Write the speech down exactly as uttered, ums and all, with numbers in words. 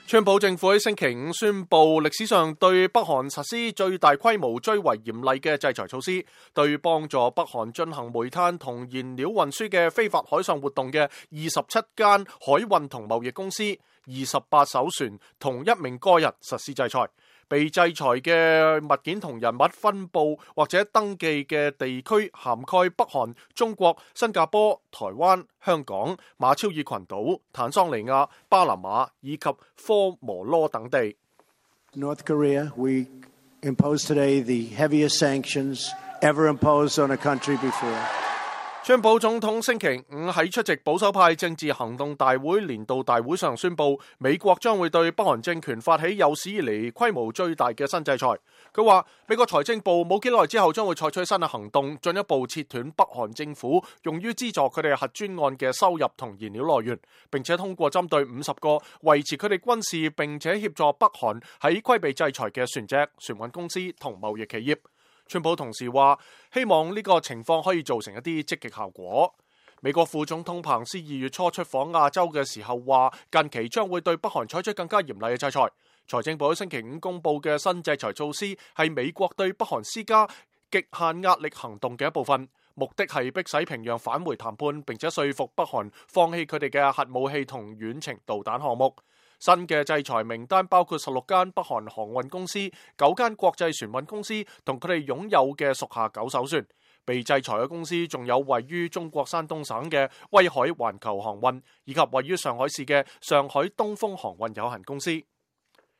川普政府喺星期五宣布歷史上對北韓實施最大規模、最為嚴厲嘅制裁措施，對幫助北韓進行煤炭同燃料運輸嘅非法海上活動嘅二十七間海運同貿易公司、二十八艘船同一名個人實施制裁。被制裁嘅物件同人物分佈或者登記嘅地區涵蓋北韓、中國、新加坡、台灣、香港、馬紹爾群島、坦桑尼亞、巴拿馬以及科摩羅等地。North Korea, we impose today the heaviest sanctions ever imposed on a country before. 川普總統星期五喺出席保守派政治行動大會年度大會上宣布，美國將會對北韓政權發起有史以嚟規模最大嘅新制裁。佢話美國財政部冇幾耐之後將會採取新嘅行動，進一步切斷北韓政府用於資助佢哋核專案嘅收入同燃料來源，並且通過針對五十個維持佢哋軍事並且協助北韓喺規避制裁嘅船隻、船運公司同貿易企業。川普同時話，希望呢個情況可以造成一啲積極效果。美國副總統彭斯二月初出訪亞洲嘅時候話，近期將會對北韓採取更加嚴厲嘅制裁。財政部喺星期五公布嘅新制裁措施係美國對北韓施加極限壓力行動嘅一部分，目的係迫使平壤返回談判，並且說服北韓放棄佢哋嘅核武器同遠程導彈項目。新嘅制裁名單包括十六間北韓航運公司、九間國際船運公司同佢哋擁有嘅屬下九艘船。被制裁嘅公司仲有位於中國山東省嘅威海環球航運，以及位於上海市嘅上海東風航運有限公司。